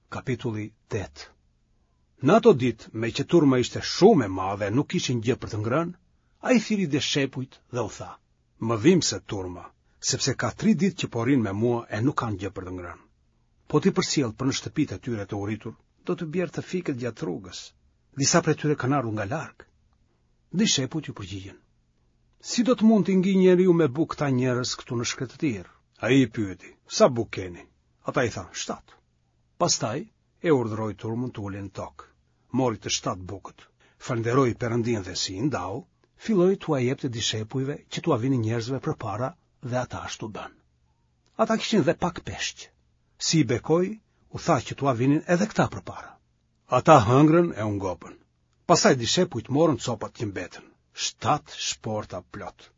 Kapitulli 8 Në ato ditë, meqë turma ishte shumë e madhe e nuk kishin gjë për të ngrënë, ai thirri dishepujt dhe u tha, më dhimbset turma, sepse ka tri ditë që po rrinë me mua e nuk kanë gjë për të ngrënë. Po t'i përcjell për në shtëpitë e tyre të uritur, do të bjerë të fikët gjatë rrugës. Disa prej tyre kanë ardhur nga larg. Dishepujt iu përgjigjën. Si do të mund t'i ngijë njeriu me bukë këta njerëz këtu në shkretëtirë? Ai i pyeti, sa bukë keni? Ata i thanë, shtatë. Pastaj e urdhëroi turmën të ulej në tokë. Mori të shtatë bukët, falënderoi Perëndinë dhe si i ndau, filloi t'ua jepte dishepujve që t'ua vinin njerëzve përpara dhe ata ashtu bënë. Ata kishin dhe pak peshq. Si i bekoi, u tha që t'ua vinin edhe këta përpara. Ata hëngrën e u ngopën. Pastaj dishepujt morën copat që mbetën, shtatë shporta plot.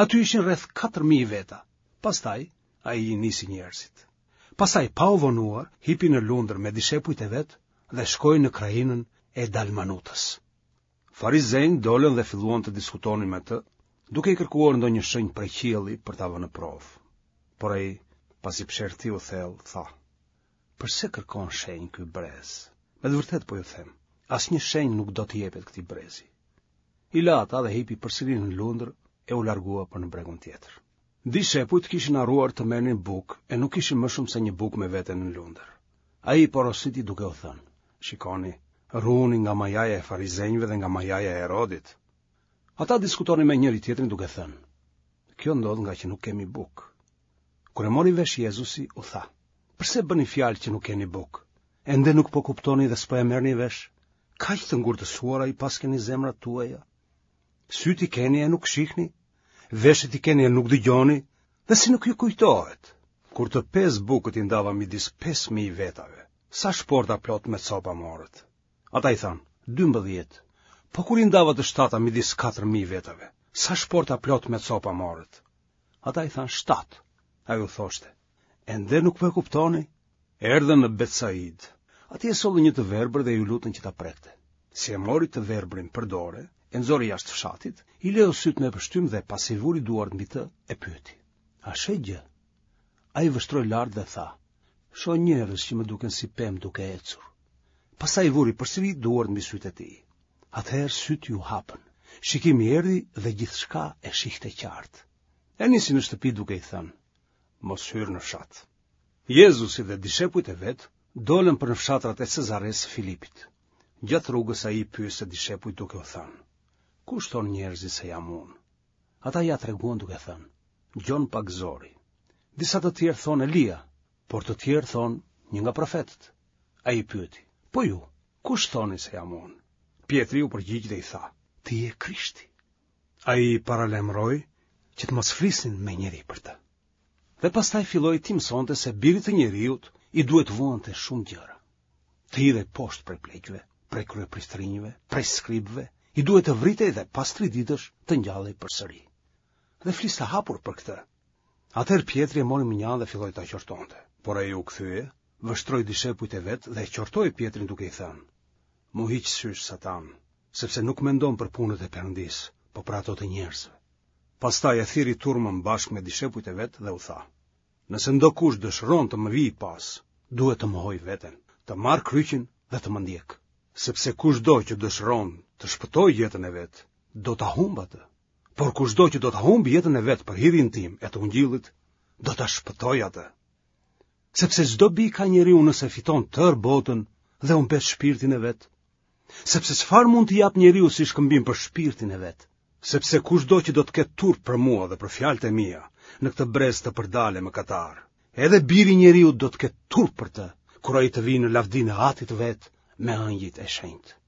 Aty ishin rreth 4000 veta. Pastaj ai i nisi njerëzit. Pastaj pa u vonuar, hipi në lundër me dishepujt e vet dhe shkoi në krahinën e Dalmanutës. Farizenjtë dolën dhe filluan të diskutonin me të, duke i kërkuar ndonjë shenjë prej qielli për ta vënë në provë. Por ai, pasi psherëtiu thellë, tha: Përse kërkon shenjë ky brez? Me të vërtetë po ju them, asnjë shenjë nuk do t'i jepet këtij brezi. I la ata dhe hipi përsëri në lundër e u largua për në bregun tjetër. Dishepujt kishin harruar të merrnin bukë e nuk kishin më shumë se një bukë me vete në lundër. Ai i porositi duke u thënë, shikoni, ruhuni nga majaja e farizenjve dhe nga majaja e Herodit. Ata diskutonin me njëri-tjetrin duke thënë, kjo ndodh ngaqë nuk kemi bukë. Kur e mori vesh Jezusi, u tha, përse bëni fjalë që nuk keni bukë? Ende nuk po kuptoni dhe s'po e merrni vesh? Kaq të ngurtësuara i paskeni zemrat tuaja? Sytë i keni e nuk shihni? Veshët i keni e nuk dëgjoni? Dhe si nuk ju kujtohet? Kur të pesë bukët i ndava midis 5000 vetave, sa shporta plot me copa morët? Ata i thanë, 12. Po kur i ndava të shtata midis 4000 vetave, sa shporta plot me copa morët? Ata i thanë shtatë. Ai u thoshte, ende nuk po e kuptoni? Erdhën në Betsaidë. Atje e sollën një të verbër dhe iu lutën që ta prekte. Si e mori të verbrin për dore, e nxori jashtë fshatit, i leu sytë me pështymë dhe pasi vuri duart mbi të, e pyeti. A sheh gjë? Ai vështroi lart dhe tha, shoh njerëz që më duken si pemë duke ecur. Pastaj i vuri përsëri duart mbi sytë e tij. Atëherë sytë iu hapën. Shikimi erdhi dhe gjithçka e shihte qartë. E nisi në shtëpi duke i thënë, mos hyr në fshat. Jezusi dhe dishepujt e vet dolën për në fshatrat e Cezaresë së Filipit. Gjatë rrugës ai i pyeste dishepujt duke u thënë, kush thonë njerëzit se jam unë? Ata ia treguan duke thënë, Gjon Pagëzori. Disa të tjerë thonë Elia, por të tjerë thonë një nga profetët. Ai i pyeti, po ju, Kush thoni se jam unë? Pjetri u përgjigj dhe i tha, ti je Krishti. Ai i paralajmëroi që të mos flisnin me njeri për të. Dhe pastaj filloi t'i mësonte se birit të njeriut i duhet të vuante shumë gjëra. Të hidhej poshtë prej pleqve, prej kryepriftërinjve, prej skribëve, i duhet të vritej dhe pas tri ditësh të ngjallej përsëri. Dhe fliste hapur për këtë. Atëherë Pjetri e mori mënjanë dhe filloi ta qortonte, por ai u kthye vështroi dishepujt e vet dhe e qortoi Pjetrin duke i thënë: M'u hiq sysh Satan, sepse nuk mendon për punët e Perëndisë, po për ato të njerëzve. Pastaj e thirri turmën bashkë me dishepujt e vet dhe u tha: Nëse ndokush dëshiron të më vijë pas, duhet të mohojë veten, të marrë kryqin dhe të më ndjekë. Sepse kushdo që dëshiron të shpëtojë jetën e vet, do ta humbë atë. Por kushdo që do ta humbë jetën e vet për hirin tim e të ungjillit, do ta shpëtojë atë. Sepse ç'dobi ka njeriu nëse fiton tërë botën dhe humbet shpirtin e vet? Sepse çfarë mund të japë njeriu si shkëmbim për shpirtin e vet? Sepse kushdo që do të ketë turp për mua dhe për fjalët e mia, në këtë brez të përdalë e mëkatar, edhe biri i njeriut do të ketë turp për të, kur ai të vijë në lavdinë e Atit të vet me engjëjt e shenjtë.